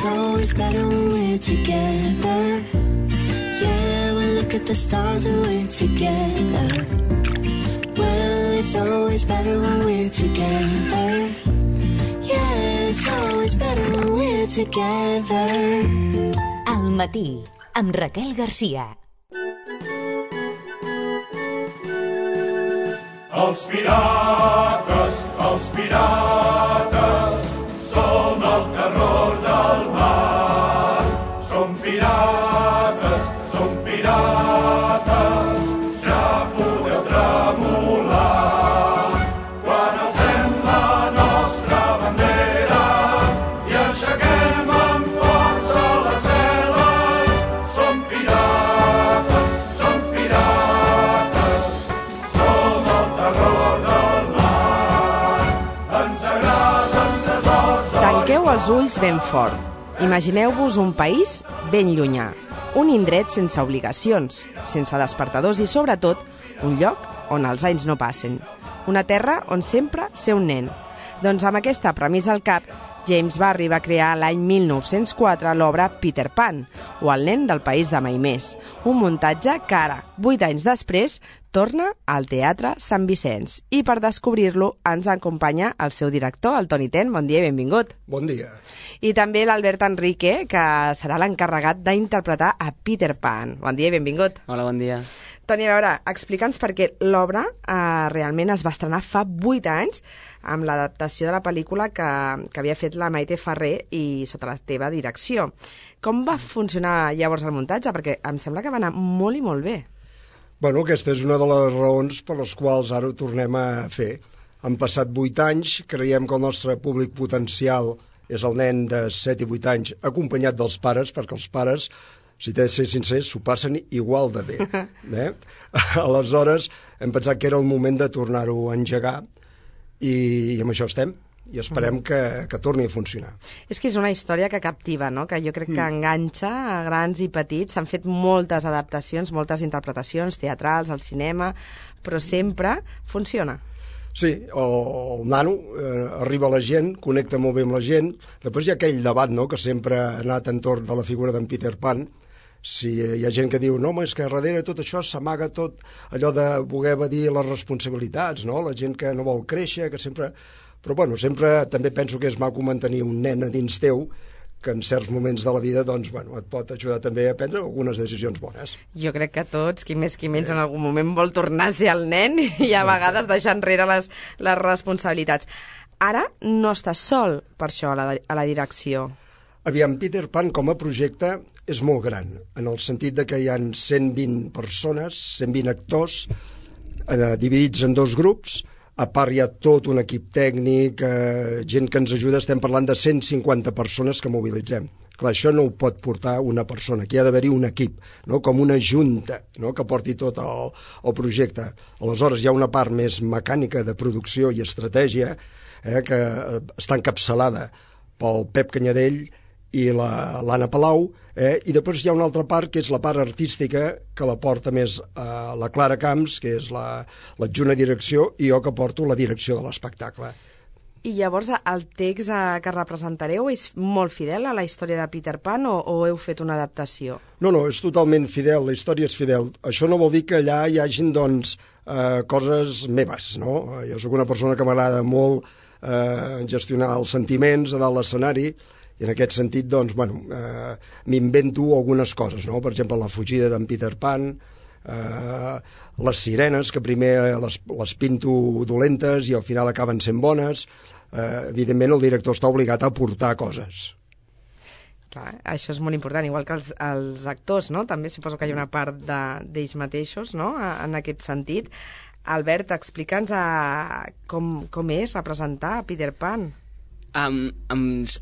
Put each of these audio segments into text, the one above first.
it's always better when we're together. Yeah, we look at the stars and we're together. Well, it's always better when we're together. Yeah, it's always better when we're together. Al matí, amb Raquel Garcia. Els pirates, som el terror del mar. Som pirates, ja podeu tremolar. Quan alcem la nostra bandera i aixequem amb força les veles, som pirates, som el terror del mar. Ens agraden tresors d'or. Tanqueu els ulls ben fort. Imagineu-vos un país ben llunyà, un indret sense obligacions, sense despertadors i, sobretot, un lloc on els anys no passen. Una terra on sempre ser un nen. Doncs amb aquesta premissa al cap, James Barrie va crear l'any 1904 l'obra Peter Pan, o El nen del país de mai més, un muntatge que ara, 8 anys després, torna al Teatre Sant Vicenç. I per descobrir-lo ens acompanya el seu director, el Toni Ten. Bon dia i benvingut. Bon dia. I també l'Albert Enrique, que serà l'encarregat d'interpretar a Peter Pan. Bon dia i benvingut. Hola, bon dia. Toni, a veure, explica'ns perquè l'obra realment es va estrenar fa 8 anys amb l'adaptació de la pel·lícula que havia fet la Maite Ferrer i sota la teva direcció. Com va funcionar llavors el muntatge? Perquè em sembla que va anar molt i molt bé. Bueno, aquesta és una de les raons per les quals ara ho tornem a fer. Han passat 8 anys, creiem que el nostre públic potencial és el nen de 7 i 8 anys acompanyat dels pares, perquè els pares, si t'he de ser sincer, s'ho passen igual de bé. Aleshores, hem pensat que era el moment de tornar-ho a engegar i amb això estem. I esperem que torni a funcionar. És que és una història que captiva, no? Que jo crec que enganxa a grans i petits. S'han fet moltes adaptacions, moltes interpretacions teatrals, al cinema, però sempre funciona. Sí, el nano arriba a la gent, connecta molt bé amb la gent. Després hi ha aquell debat, no?, que sempre ha anat entorn de la figura d'en Peter Pan. Si hi ha gent que diu, no, home, és que darrere tot això s'amaga tot allò de voler evadir les responsabilitats, no? La gent que no vol créixer, que sempre... Però, bueno, sempre també penso que és maco mantenir un nen a dins teu que en certs moments de la vida, doncs, bueno, et pot ajudar també a prendre algunes decisions bones. Jo crec que tots, qui més qui menys, en algun moment vol tornar a ser el nen i a vegades deixar enrere les responsabilitats. Ara no estàs sol, per això, a la direcció. Aviam, Peter Pan com a projecte és molt gran, en el sentit de que hi ha 120 persones, 120 actors, dividits en 2 grups. A part hi ha tot un equip tècnic, gent que ens ajuda, estem parlant de 150 persones que mobilitzem. Clar, això no ho pot portar una persona, aquí ha d'haver-hi un equip, no? Com una junta, no?, que porti tot el projecte. Aleshores hi ha una part més mecànica de producció i estratègia que està encapçalada pel Pep Canyadell i l'Anna Palau, i després hi ha una altra part que és la part artística que la porta més la Clara Camps, que és l'adjunta direcció, i jo que porto la direcció de l'espectacle. I llavors el text que representareu és molt fidel a la història de Peter Pan o heu fet una adaptació? No, és totalment fidel, la història és fidel. Això no vol dir que allà hi hagin, doncs, coses meves, no? Jo soc una persona que m'agrada molt gestionar els sentiments a dalt l'escenari, i en aquest sentit, doncs, bueno, m'invento algunes coses, no? Per exemple, la fugida d'en Peter Pan, les sirenes, que primer les pinto dolentes i al final acaben sent bones. Evidentment, el director està obligat a aportar coses. Clar, això és molt important, igual que els actors, no? També suposo que hi ha una part d'ells mateixos, no?, en aquest sentit. Albert, explica'ns com és representar a Peter Pan. Em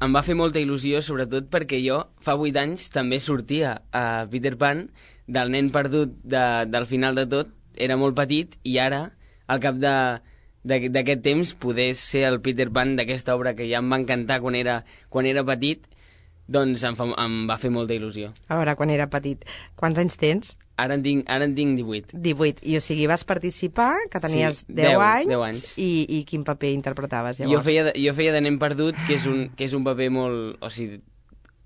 va fer molta il·lusió, sobretot perquè jo fa 8 anys també sortia a Peter Pan, del nen perdut del final de tot. Era molt petit i ara, al cap d'aquest temps, poder ser el Peter Pan d'aquesta obra que ja em va encantar quan era petit, doncs em va fer molta il·lusió. A veure, quan era petit, quants anys tens? Ara en tinc 18. 18, i o sigui, vas participar, que tenies 10 anys. I quin paper interpretaves llavors? Jo feia de nen perdut, que és un paper molt... O sigui,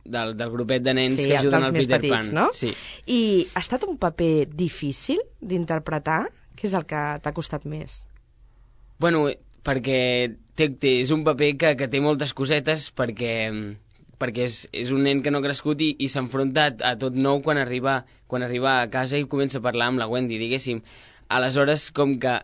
del grupet de nens que ajuden al Peter Pan. No? Sí. I ha estat un paper difícil d'interpretar? Què és el que t'ha costat més? Bueno, perquè és un paper que té moltes cosetes, perquè és un nen que no ha crescut i s'enfronta a tot nou quan arriba a casa i comença a parlar amb la Wendy, diguéssim. Aleshores, com que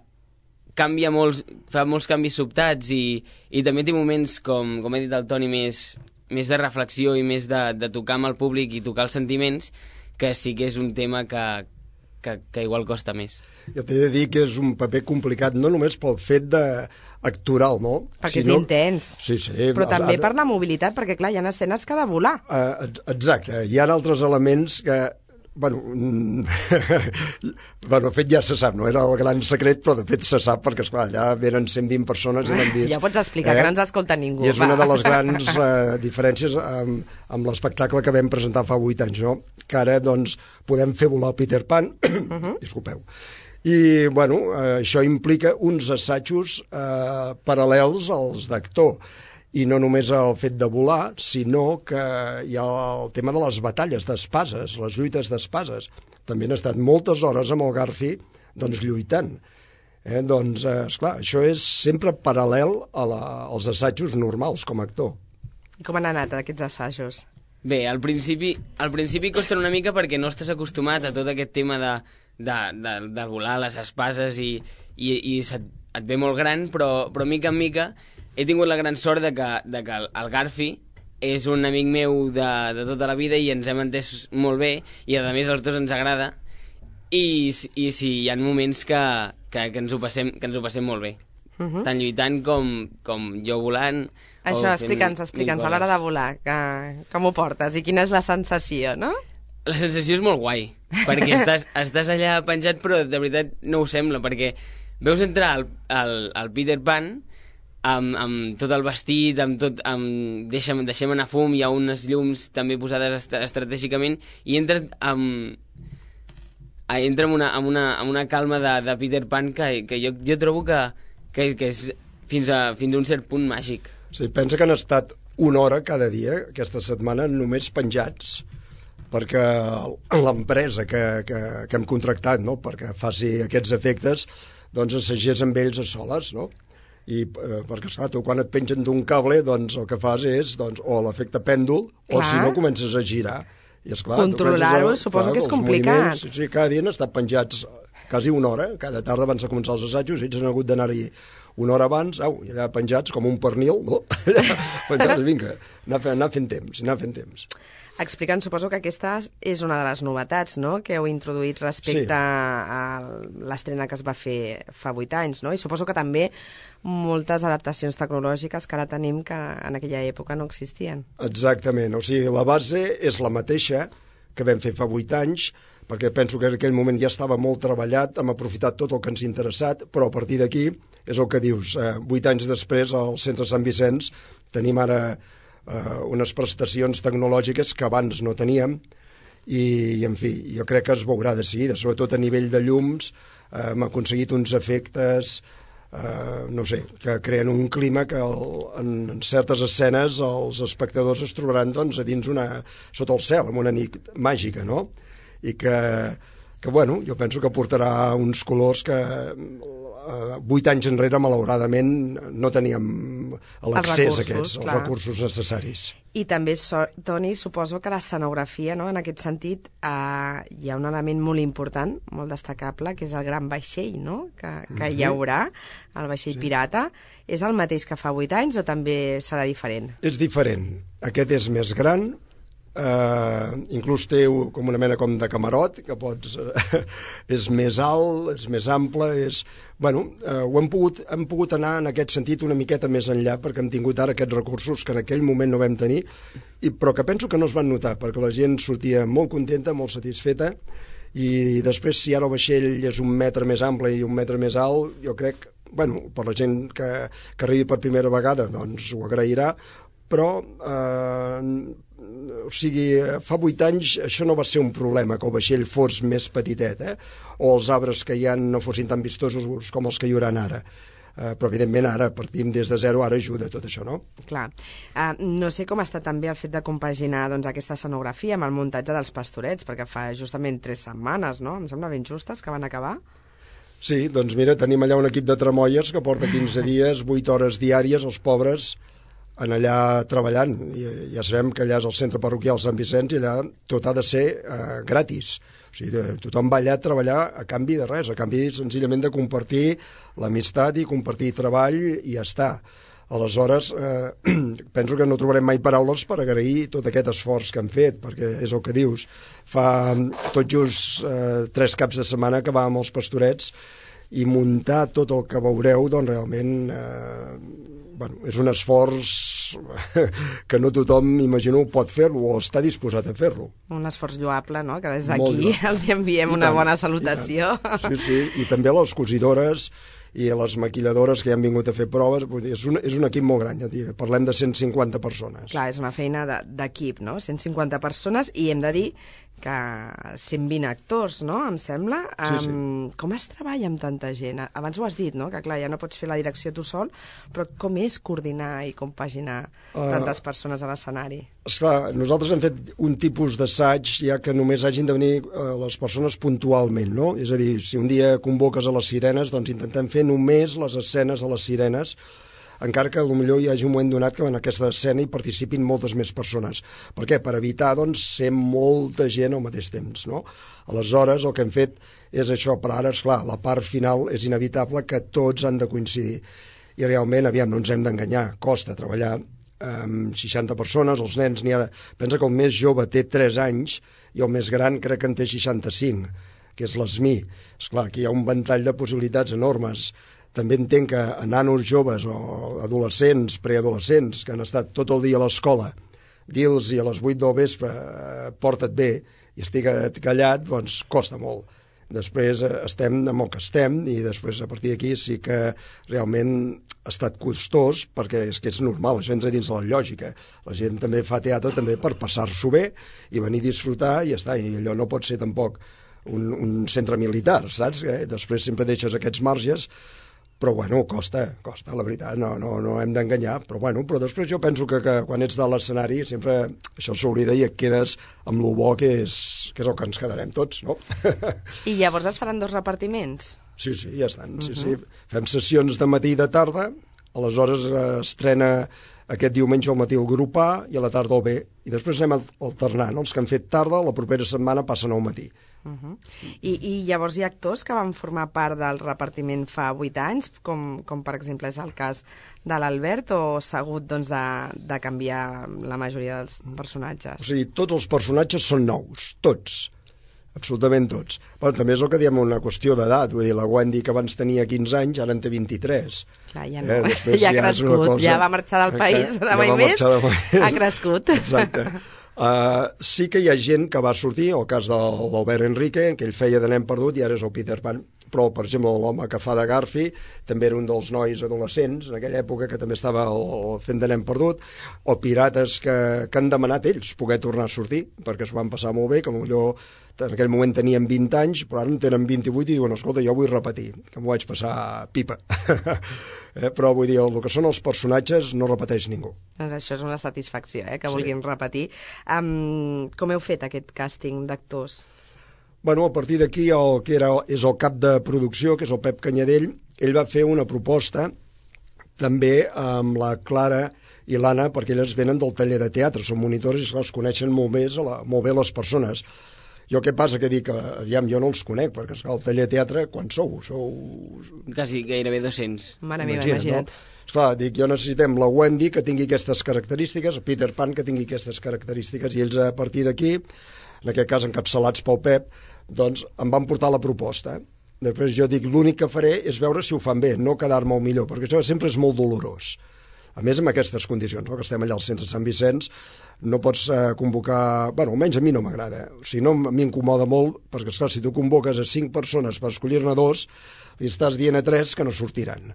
fa molts canvis sobtats i també té moments, com ha dit el Toni, més de reflexió i més de tocar amb el públic i tocar els sentiments, que sí que és un tema que igual costa més. Jo t'he de dir que és un paper complicat, no només pel fet actoral, no? Perquè és intens. Sí. Però també per la mobilitat, perquè clar, hi ha escenes que ha de volar. Exacte, hi ha altres elements que... Bueno, el fet ja se sap, no era el gran secret, però de fet se sap perquè, esclar, allà venen 120 persones i l'han vist. Ja pots explicar, que no ens escolta ningú. I és una de les grans diferències amb l'espectacle que vam presentar fa 8 anys, no? Que ara, doncs, podem fer volar el Peter Pan, disculpeu, i, bueno, això implica uns assajos paral·lels als d'actor. I no només el fet de volar, sinó que hi ha el tema de les batalles d'espases, les lluites d'espases. També han estat moltes hores amb el Garfi doncs, lluitant. Doncs, esclar, això és sempre paral·lel als assajos normals com a actor. I com han anat aquests assajos? Bé, al principi costa una mica perquè no estàs acostumat a tot aquest tema de volar les espases i et ve molt gran, però mica en mica he tingut la gran sort de que el Garfi és un amic meu de tota la vida i ens hem entès molt bé i a més als dos ens agrada i sí, hi ha moments que ens ho passem molt bé. Tant lluitant com jo volant. Això, explica'ns a l'hora de volar, com ho portes i quina és la sensació, no? La sensació és molt guai, perquè estàs allà penjat però de veritat no ho sembla, perquè veus entrar el Peter Pan amb tot el vestit, deixem anar fum, hi ha unes llums també posades estratègicament i entra amb una calma de Peter Pan que jo trobo que és fins a un cert punt màgic. Sí, pensa que han estat 1 hora cada dia aquesta setmana només penjats perquè l'empresa que hem contractat, no?, perquè faci aquests efectes doncs assagés amb ells a soles, no? I perquè, esclar, tu quan et pengen d'un cable, doncs el que fas és o l'efecte pèndol, o si no comences a girar. I, esclar, controlar-ho suposo que és complicat. Sí, cada dia han estat penjats quasi 1 hora, cada tarda abans de començar els assajos, ells han hagut d'anar-hi 1 hora abans, i allà penjats com un pernil, no? Penjats, vinga, anar fent temps. Explicant, suposo que aquesta és una de les novetats, no?, que heu introduït respecte a l'estrena que es va fer fa 8 anys, no? I suposo que també moltes adaptacions tecnològiques que ara tenim que en aquella època no existien. Exactament, o sigui, la base és la mateixa que vam fer fa 8 anys, perquè penso que en aquell moment ja estava molt treballat, hem aprofitat tot el que ens ha interessat, però a partir d'aquí és el que dius, 8 anys després al Centre Sant Vicenç tenim ara unes prestacions tecnològiques que abans no teníem i en fi, jo crec que es veurà de seguida, sobretot a nivell de llums hem aconseguit uns efectes no sé, que creen un clima que en certes escenes els espectadors es trobaran doncs, a dins sota el cel, amb una nit màgica, no? I que bueno, jo penso que portarà uns colors que 8 anys enrere, malauradament, no teníem l'accés a aquests, els recursos necessaris. I també, Toni, suposo que l'escenografia, no?, en aquest sentit, hi ha un element molt important, molt destacable, que és el gran vaixell, no?, que hi haurà, el vaixell pirata. És el mateix que fa 8 anys o també serà diferent? És diferent. Aquest és més gran, inclús té com una mena com de camarot que és més alt, és més ample, hem pogut anar en aquest sentit una miqueta més enllà perquè hem tingut ara aquests recursos que en aquell moment no vam tenir, però que penso que no es van notar perquè la gent sortia molt contenta, molt satisfeta, i després si ara el vaixell és 1 metre més ample i 1 metre més alt, jo crec, per la gent que arribi per primera vegada doncs ho agrairà, però o sigui, fa 8 anys això no va ser un problema, que el vaixell fos més petitet, o els arbres que hi ha no fossin tan vistosos com els que hi haurà ara. però evidentment ara partim des de zero, ara ajuda tot això, no? Clar. No sé com està també el fet de compaginar doncs, aquesta escenografia amb el muntatge dels pastorets, perquè fa justament 3 setmanes, no? Em sembla ben justes que van acabar. Sí, doncs mira, tenim allà un equip de tramoies que porta 15 dies, 8 hores diàries, els pobres en allà treballant. I ja sabem que allà és el centre parroquial Sant Vicenç i allà tot ha de ser gratis. O sigui, tothom va allà a treballar a canvi de res, a canvi senzillament de compartir l'amistat i compartir treball i ja està. Aleshores, penso que no trobarem mai paraules per agrair tot aquest esforç que han fet, perquè és el que dius. Fa tot just 3 caps de setmana que vam als Pastorets i muntar tot el que veureu, doncs realment és un esforç que no tothom, imagino, pot fer-lo o està disposat a fer-lo. Un esforç lloable, no?, que des d'aquí els enviem una bona salutació. Sí, i també a les cosidores i a les maquilladores que han vingut a fer proves. És un equip molt gran, ja dic, parlem de 150 persones. Clar, és una feina d'equip, no?, 150 persones, i hem de dir que 120 actors, no?, em sembla. Sí. Com es treballa amb tanta gent? Abans ho has dit, no?, que clar, ja no pots fer la direcció tu sol, però com és coordinar i compaginar tantes persones a l'escenari? Esclar, nosaltres hem fet un tipus d'assaig ja que només hagin de venir les persones puntualment, no? És a dir, si un dia convoques a les sirenes, doncs intentem fer només les escenes a les sirenes, encara que potser hi hagi un moment donat que en aquesta escena hi participin moltes més persones. Per què? Per evitar, doncs, ser molta gent al mateix temps, no? Aleshores, el que hem fet és això, però ara, esclar, la part final és inevitable que tots han de coincidir. I realment, aviam, no ens hem d'enganyar, costa treballar amb 60 persones, els nens n'hi ha... Pensa que el més jove té 3 anys i el més gran crec que en té 65, que és l'ESMI. Esclar, aquí hi ha un ventall de possibilitats enormes. També entenc que a nanos joves o adolescents, preadolescents, que han estat tot el dia a l'escola, dir-los a les 8 del vespre porta't bé i estigua't callat, doncs costa molt. Després estem amb el que estem i després a partir d'aquí sí que realment ha estat costós perquè és que és normal, això entra dins de la lògica. La gent també fa teatre també per passar-s'ho bé i venir a disfrutar i ja està, i allò no pot ser tampoc un centre militar, saps? Després sempre deixes aquests marges, però bueno, costa, la veritat, no hem d'enganyar, però després jo penso que quan ets de l'escenari sempre això s'oblida i et quedes amb lo bo que és el que ens quedarem tots, no? I llavors es faran 2 repartiments? Sí, ja estan, sí. Fem sessions de matí i de tarda, aleshores estrena aquest diumenge al matí el grup A i a la tarda el B, i després anem alternant, els que han fet tarda, la propera setmana passen al matí. I llavors hi ha actors que van formar part del repartiment fa 8 anys, com per exemple és el cas de l'Albert, o s'ha hagut doncs, de canviar la majoria dels personatges? O sigui, tots els personatges són nous, tots, absolutament tots. Però també és el que diem una qüestió d'edat, vull dir, la Wendy que abans tenia 15 anys, ara en té 23. Clar, ja no, ja ha crescut, ja va marxar del país, de mai més, ha crescut. Exacte. Sí que hi ha gent que va sortir, el cas de l'Albert Enrique, que ell feia de nen perdut i ara és el Peter Pan, però, per exemple, l'home que fa de Garfi també era un dels nois adolescents en aquella època que també estava fent de nen perdut, o pirates que han demanat ells poder tornar a sortir, perquè s'ho van passar molt bé, que potser en aquell moment tenien 20 anys, però ara en tenen 28 i diuen, escolta, jo vull repetir, que m'ho vaig passar pipa. Però vull dir, el que són els personatges no repeteix ningú. Doncs això és una satisfacció, que vulguin repetir. Com heu fet aquest càsting d'actors? Bueno, a partir d'aquí el que és el cap de producció, que és el Pep Canyadell, ell va fer una proposta també amb la Clara i l'Anna, perquè elles venen del taller de teatre, són monitores i els coneixen molt bé les persones. Jo què passa? Que dic, aviam, jo no els conec, perquè el taller de teatre, quan sou? Quasi gairebé 200. Mare meva, imagina't. No? Esclar, dic, jo necessitem la Wendy, que tingui aquestes característiques, el Peter Pan, que tingui aquestes característiques, i ells a partir d'aquí, en aquest cas encapçalats pel Pep, doncs em van portar la proposta. Després jo dic, l'únic que faré és veure si ho fan bé, no quedar-me el millor, perquè això sempre és molt dolorós. A més, amb aquestes condicions, no? Que estem allà al centre de Sant Vicenç, no pots convocar... Bueno, almenys a mi no m'agrada. O sigui, no, a mi m'incomoda molt, perquè, esclar, si tu convoques a 5 persones per escollir-ne 2, li estàs dient a 3 que no sortiran.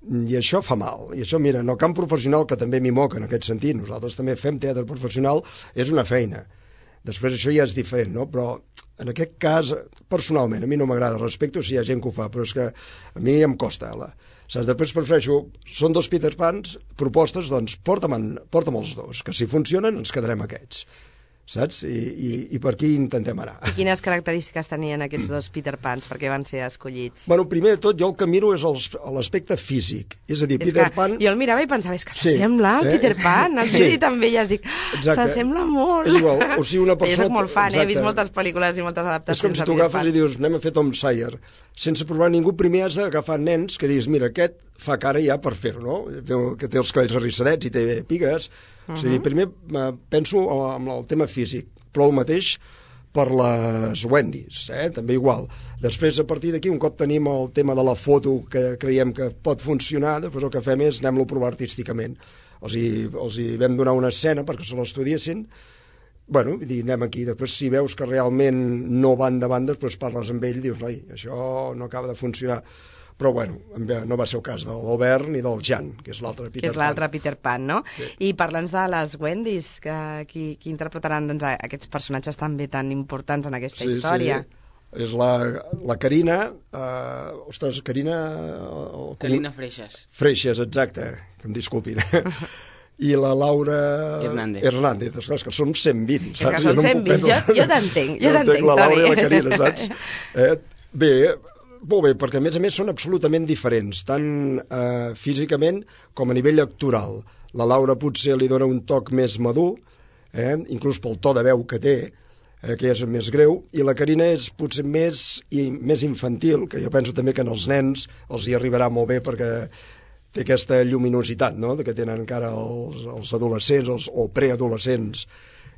I això fa mal. I això, mira, en el camp professional, que també m'hi moca en aquest sentit, nosaltres també fem teatre professional, és una feina. Després això ja és diferent, no? Però en aquest cas, personalment, a mi no m'agrada, respecto si hi ha gent que ho fa, però és que a mi em costa. Saps? Després prefereixo, són 2 Peter Pans, propostes, doncs porta'm els 2, que si funcionen ens quedarem aquests. Saps? I per aquí intentem anar. I quines característiques tenien aquests 2 Peter Pans? Per què van ser escollits? Bueno, primer de tot, jo el que miro és l'aspecte físic. És a dir, Peter Pan... Jo el mirava i pensava, és que s'assembla al Peter Pan. El Judy també, ja es dic, s'assembla molt. És igual, o sigui, una persona... Jo soc molt fan, he vist moltes pel·lícules i moltes adaptacions. És com si tu agafes i dius, anem a fer Tom Sawyer. Sense provar ningú, primer has d'agafar nens que diguis, mira, aquest fa cara ja per fer-ho, no? Que té els cabells arrissadets i té pigues. O sigui, primer penso en el tema físic, però el mateix per les Wendys, també igual. Després, a partir d'aquí, un cop tenim el tema de la foto que creiem que pot funcionar, després el que fem és anem-lo a provar artísticament. Els hi vam donar una escena perquè se l'estudiessin, bueno, anem aquí. Després, si veus que realment no van davant, després parles amb ell i dius, noi, això no acaba de funcionar. Però, bueno, no va ser el cas de l'Albert ni del Jan, que és l'altre Peter Pan. Que és l'altre Peter Pan, no? Sí. I parl'ns de les Wendys, qui interpretaran doncs, aquests personatges també tan importants en aquesta història. Sí. És la Carina... Carina... Carina Freixas. Freixas, exacte, que em disculpin. I la Laura... Hernández. Esclar, que som 120, saps? És que són 120, jo t'entenc, Toni. La Laura i la Carina, saps? Bé, molt bé, perquè a més són absolutament diferents, tant físicament com a nivell actoral. La Laura potser li dona un toc més madur, inclús pel to de veu que té, que és més greu, i la Carina és potser més infantil, que jo penso també que als nens els hi arribarà molt bé perquè té aquesta lluminositat, no?, que tenen encara els adolescents o preadolescents.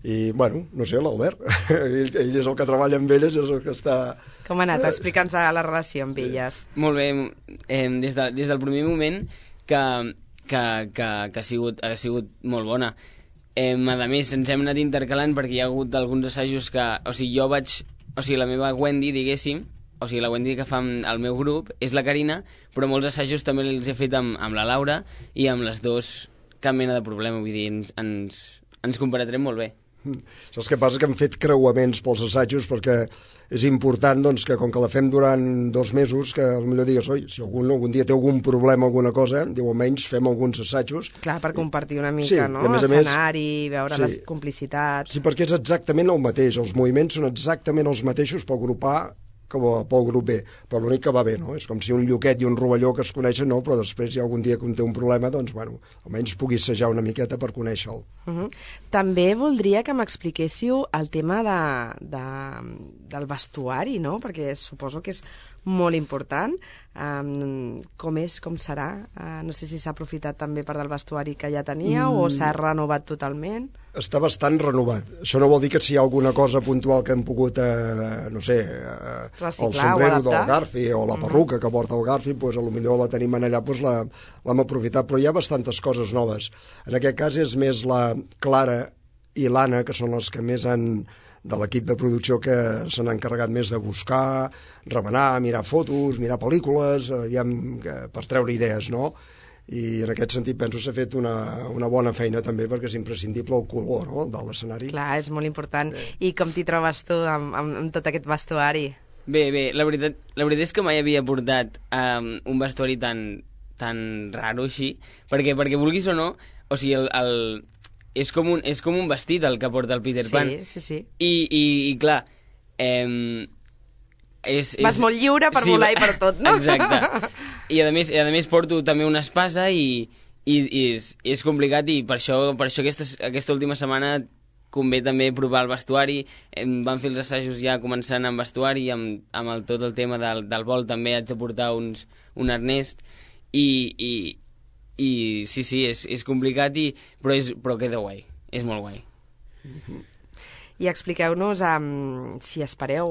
I, bueno, no sé, l'Albert, ell és el que treballa amb elles, és el que està... Com ha anat? Explica'ns la relació amb elles. Molt bé, des del primer moment que ha sigut molt bona. A més, ens hem anat intercalant perquè hi ha hagut alguns assajos que... O sigui, la meva Wendy, diguéssim, o sigui, la Wendy que fa el meu grup és la Carina, però molts assajos també els he fet amb la Laura i amb les dues cap mena de problema, vull dir, ens comparatrem molt bé. Saps què passa? Que hem fet creuaments pels assajos perquè és important doncs, que com que la fem durant 2 mesos, que potser digues, oi, si algun dia té algun problema, alguna cosa, diu, almenys fem alguns assajos. Clar, per compartir una mica, no? L'escenari, veure les complicitats... Sí, perquè és exactament el mateix, els moviments són exactament els mateixos pel grup A que pel grup B, però l'únic que va bé, no? És com si un lloquet i un rovelló que es coneixen, no, però després hi ha algun dia que un té un problema, doncs, bueno, almenys pugui assajar una miqueta per conèixer-lo. També voldria que m'expliquéssiu el tema del vestuari, no? Perquè suposo que és molt important. Com serà? No sé si s'ha aprofitat també part del vestuari que ja tenia o s'ha renovat totalment. Està bastant renovat. Això no vol dir que si hi ha alguna cosa puntual que hem pogut, no sé, el sombrero del Garfi o la perruca que porta el Garfi, doncs potser la tenim allà, doncs l'hem aprofitat, però hi ha bastantes coses noves. En aquest cas és més la Clara i l'Anna, que són les que més de l'equip de producció que s'han encarregat més de buscar, remenar, mirar fotos, mirar pel·lícules, per treure idees, no? I en aquest sentit penso que s'ha fet una bona feina també perquè és imprescindible el color, no?, de l'escenari. Clar, és molt important. I com t'hi trobes tu amb tot aquest vestuari? Bé, la veritat és que mai havia portat un vestuari tan raro així, perquè vulguis o no, o sigui, és com un vestit el que porta el Peter Pan. Sí. I clar, vas molt lliure per volar i per tot, no? Exacte. I a més porto també una espasa i és complicat, i per això aquesta última setmana convé també provar el vestuari. Vam fer els assajos ja començant amb vestuari, amb tot el tema del vol també haig de portar un arnès i sí, és complicat, però queda guai, és molt guai. I expliqueu-nos si espereu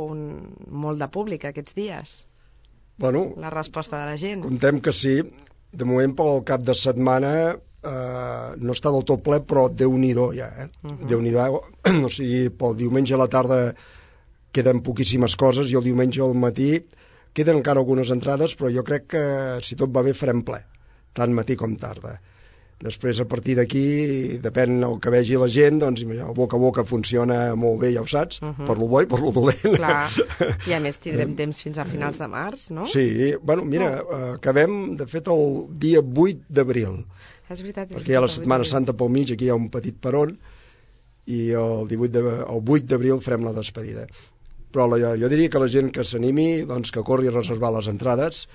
molt de públic aquests dies. Bueno, la resposta de la gent. Contem que sí. De moment, pel cap de setmana no està del tot ple, però Déu-n'hi-do ja, Déu-n'hi-do. O sigui, pel diumenge a la tarda queden poquíssimes coses i el diumenge al matí queden encara algunes entrades, però jo crec que si tot va bé farem ple, tant matí com tarda. Després, a partir d'aquí, depèn el que vegi la gent, doncs el boca a boca funciona molt bé, ja ho saps, per lo bo i per lo dolent. Clar, i a més tindrem temps fins a finals de març, no? Sí, bueno, mira, acabem, de fet, el dia 8 d'abril, És veritat. perquè hi ha la Setmana Santa pel mig, aquí hi ha un petit peron, i el 8 d'abril farem la despedida. Però jo diria que la gent que s'animi, doncs que corri a reservar les entrades,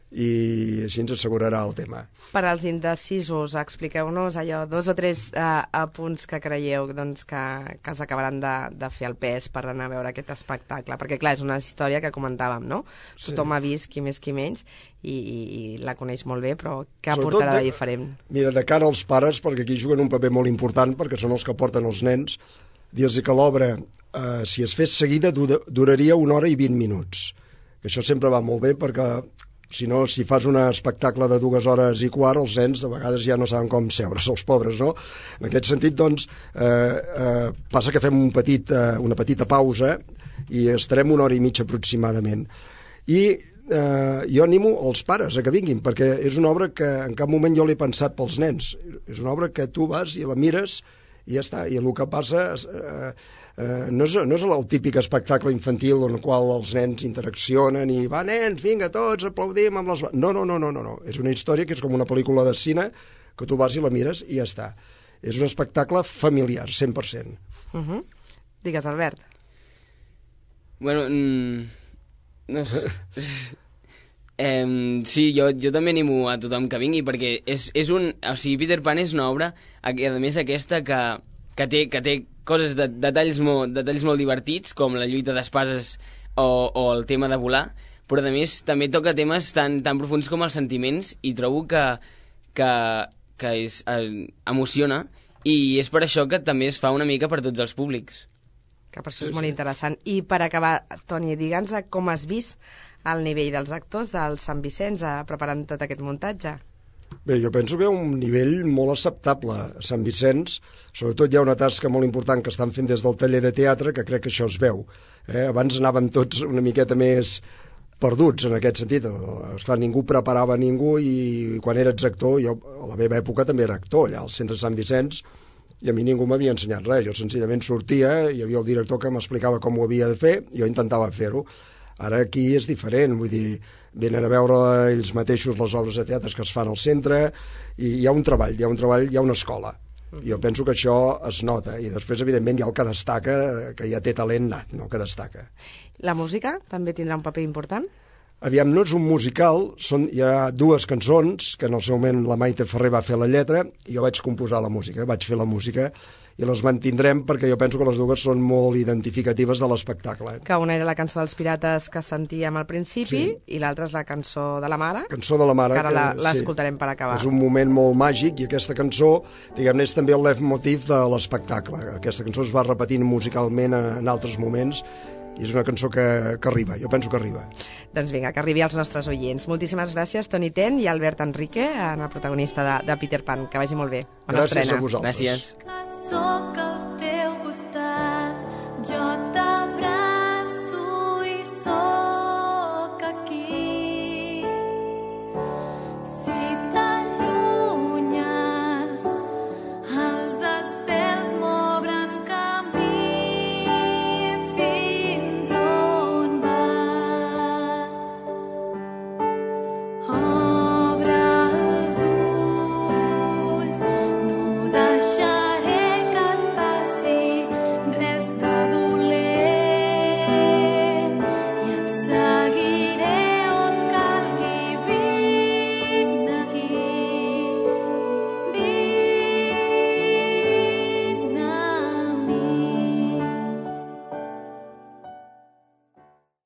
i així ens assegurarà el tema. Per als indecisos, expliqueu-nos allò, 2 o 3 apunts que creieu doncs, que els acabaran de fer el pes per anar a veure aquest espectacle, perquè clar, és una història que comentàvem, no? Tothom ha vist, qui més qui menys, i la coneix molt bé, però què aportarà de diferent? Mira, de cara als pares, perquè aquí juguen un paper molt important, perquè són els que porten els nens, dir-los que l'obra, si es fes seguida, duraria 1 hora i 20 minuts. Que això sempre va molt bé, perquè si no, si fas un espectacle de 2 hores i quart, els nens de vegades ja no saben com seure's, els pobres, no? En aquest sentit, doncs, passa que fem una petita pausa i estarem 1 hora i mitja aproximadament. I jo animo els pares a que vinguin, perquè és una obra que en cap moment jo l'he pensat pels nens. És una obra que tu vas i la mires i ja està. I el que passa no és el típic espectacle infantil en el qual els nens interaccionen i va, nens, vinga, tots aplaudim amb les... No. És una història que és com una pel·lícula de cine que tu vas i la mires i ja està. És un espectacle familiar, 100%. Digues, Albert. Bueno, no sé. Sí, jo també animo a tothom que vingui, perquè és un... O sigui, Peter Pan és una obra, a més aquesta, que té coses, detalls molt divertits, com la lluita d'espases o el tema de volar, però a més també toca temes tan profuns com els sentiments, i trobo que emociona, i és per això que també es fa una mica per tots els públics. Que per això és molt interessant. I per acabar, Toni, digue'ns com has vist el nivell dels actors del Sant Vicenç preparant tot aquest muntatge. Bé, jo penso que hi ha un nivell molt acceptable a Sant Vicenç. Sobretot hi ha una tasca molt important que estan fent des del taller de teatre, que crec que això es veu. Abans anàvem tots una miqueta més perduts en aquest sentit. Esclar, ningú preparava ningú, i quan eres actor, jo a la meva època també era actor allà al centre de Sant Vicenç, i a mi ningú m'havia ensenyat res. Jo senzillament sortia, hi havia el director que m'explicava com ho havia de fer, i jo intentava fer-ho. Ara aquí és diferent, vull dir, venen a veure ells mateixos les obres de teatre que es fan al centre, i hi ha un treball, hi ha una escola. Jo penso que això es nota, i després, evidentment, hi ha el que destaca, que ja té talent nat, no?, que destaca. La música també tindrà un paper important? Aviam, no és un musical, hi ha 2 cançons, que en el seu moment la Maite Ferrer va fer la lletra, i jo vaig composar la música, vaig fer la música, i les mantindrem perquè jo penso que les 2 són molt identificatives de l'espectacle. Que una era la cançó dels Pirates que sentíem al principi, i l'altra és la cançó de la mare. Cançó de la mare. Que ara l'escoltarem per acabar. És un moment molt màgic, i aquesta cançó, diguem-ne, és també el leitmotiv de l'espectacle. Aquesta cançó es va repetint musicalment en altres moments, i és una cançó que arriba, jo penso que arriba. Doncs vinga, que arribi als nostres oients. Moltíssimes gràcies, Toni Ten i Albert Enrique, en el protagonista de Peter Pan. Que vagi molt bé. Bona Gràcies estrena. a vosaltres. Gràcies.